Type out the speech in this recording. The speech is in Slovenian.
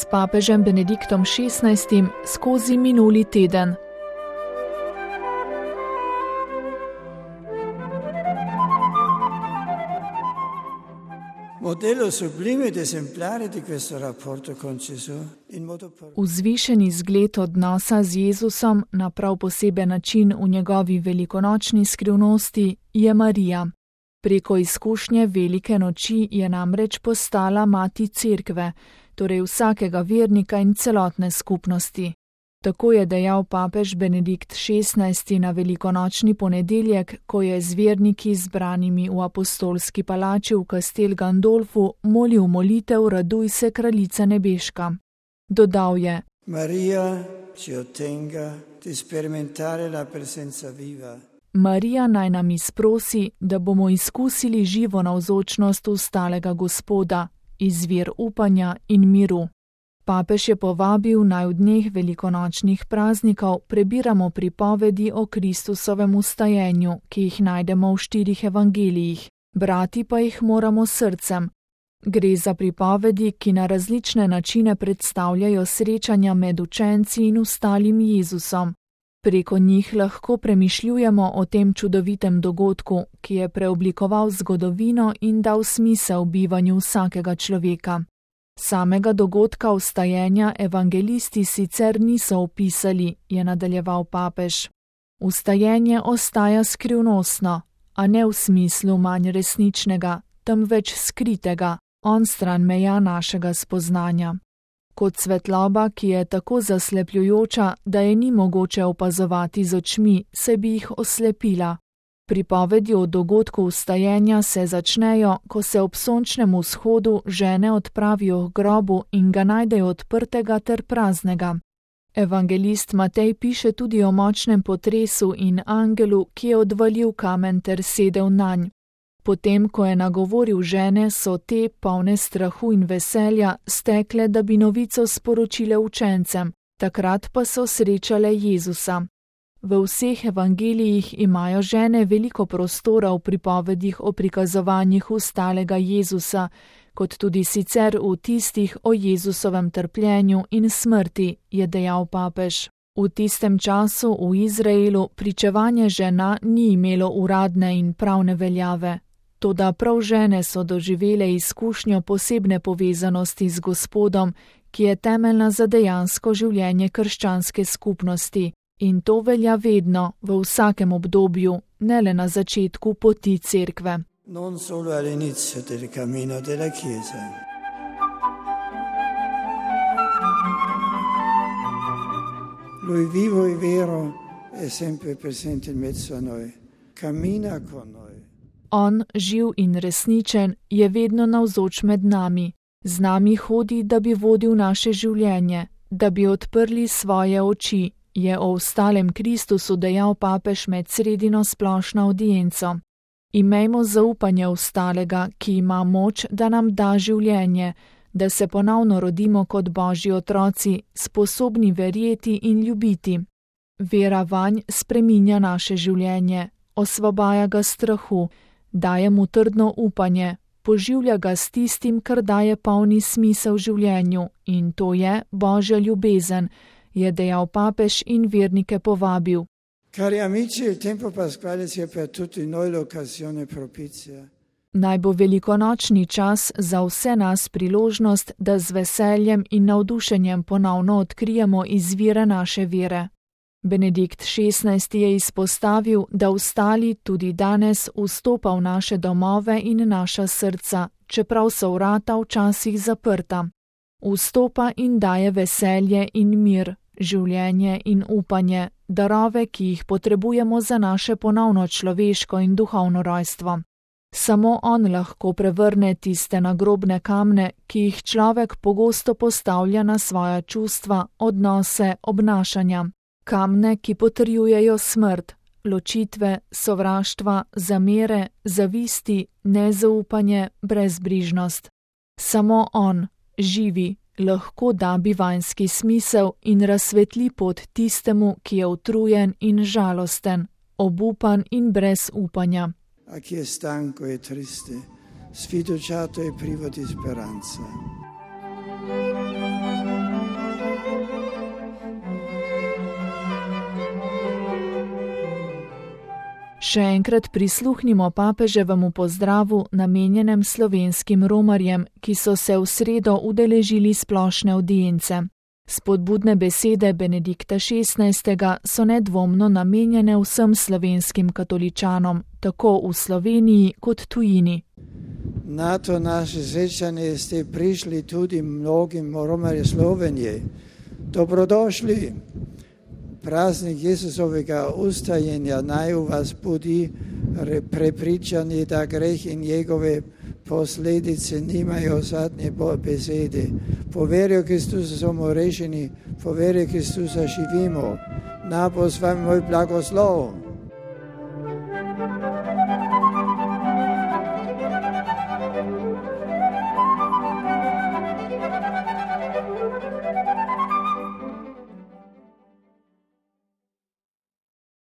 s papežem Benediktom XVI skozi minuli teden. Vzvišeni zgled odnosa z Jezusom na prav poseben način v njegovi velikonočni skrivnosti je Marija. Preko izkušnje velike noči je namreč postala mati cerkve, torej vsakega vernika in celotne skupnosti. Tako je dejal papež Benedikt XVI na velikonočni ponedeljek, ko je z verniki zbranimi v apostolski palači v Castel Gandolfu molil molitev Raduj se, kraljica nebeška. Dodal je: Marija ci ottenga di sperimentare la presenza viva. Marija naj nam izprosi, da bomo izkusili živo navzočnost vstalega Gospoda, izvir upanja in miru. Papež je povabil, naj v dneh velikonočnih praznikov prebiramo pripovedi o Kristusovem vstajenju, ki jih najdemo v 4 evangelijih, brati pa jih moramo srcem. Gre za pripovedi, ki na različne načine predstavljajo srečanja med učenci in vstalim Jezusom. Preko njih lahko premišljujemo o tem čudovitem dogodku, ki je preoblikoval zgodovino in dal smisel bivanju vsakega človeka. Samega dogodka vstajenja evangelisti sicer niso opisali, je nadaljeval papež. Vstajenje ostaja skrivnostno, a ne v smislu manj resničnega, temveč skritega, onstran meja našega spoznanja. Kot svetloba, ki je tako zaslepljujoča, da je ni mogoče opazovati z očmi, se bi jih oslepila. Pripovedi o dogodku vstajenja se začnejo, ko se ob sončnem vzhodu žene odpravijo k grobu in ga najdejo odprtega ter praznega. Evangelist Matej piše tudi o močnem potresu in angelu, ki je odvalil kamen ter sedel nanj. Potem, ko je nagovoril žene, so te, polne strahu in veselja, stekle, da bi novico sporočile učencem, takrat pa so srečale Jezusa. V vseh evangelijih imajo žene veliko prostora v pripovedih o prikazovanjih vstalega Jezusa, kot tudi sicer v tistih o Jezusovem trpljenju in smrti, je dejal papež. V tistem času v Izraelu pričevanje žena ni imelo uradne in pravne veljave. Toda prav žene so doživele izkušnjo posebne povezanosti z Gospodom, ki je temeljna za dejansko življenje krščanske skupnosti. In to velja vedno, v vsakem obdobju, ne le na začetku poti cerkve. Non solo all'inizio del cammino della Chiesa. Lui vivo e vero è sempre presente in mezzo a noi. Cammina con noi. On, živ in resničen, je vedno navzoč med nami. Z nami hodi, da bi vodil naše življenje, da bi odprli svoje oči, je o vstalem Kristusu dejal papež med sredino splošno audienco. Imejmo zaupanje vstalega, ki ima moč, da nam da življenje, da se ponovno rodimo kot Božji otroci, sposobni verjeti in ljubiti. Vera vanj spreminja naše življenje, osvobaja ga strahu, daje mu trdno upanje, poživlja ga s tistim, kar daje polni smisel življenju, in to je Božja ljubezen, je dejal papež in vernike povabil. Cari amici, il tempo pasquale sia per tutti noi l'occasione propizia. Naj bo velikonočni čas za vse nas priložnost, da z veseljem in navdušenjem ponovno odkrijemo izvire naše vere. Benedikt XVI je izpostavil, da vstali tudi danes vstopa v naše domove in naša srca, čeprav so vrata včasih zaprta. Vstopa in daje veselje in mir, življenje in upanje, darove, ki jih potrebujemo za naše ponovno človeško in duhovno rojstvo. Samo on lahko prevrne tiste nagrobne kamne, ki jih človek pogosto postavlja na svoja čustva, odnose, obnašanja. Kamne, ki potrjujejo smrt, ločitve, sovraštva, zamere, zavisti, nezaupanje, brezbrižnost. Samo on, živi, lahko da bivanjski smisel in razsvetli pot tistemu, ki je utrujen in žalosten, obupan in brez upanja. A chi è stanco e triste, sfiduciato e privo di speranza. Še enkrat prisluhnimo papeževemu pozdravu namenjenem slovenskim romarjem, ki so se v sredo udeležili splošne audience. Spodbudne besede Benedikta XVI. So nedvomno namenjene vsem slovenskim katoličanom, tako v Sloveniji kot tujini. Na to naše srečanje ste prišli tudi mnogim romarjem Slovenije. Dobrodošli. Praznik Jesusovega ustajenja naj u vas budi prepričani, da greh in njegove posljedice nimajo zadnje besede. Po veri v Kristusa smo rešeni, po veri v Kristusa živimo. Na bo s vami moj blagoslov.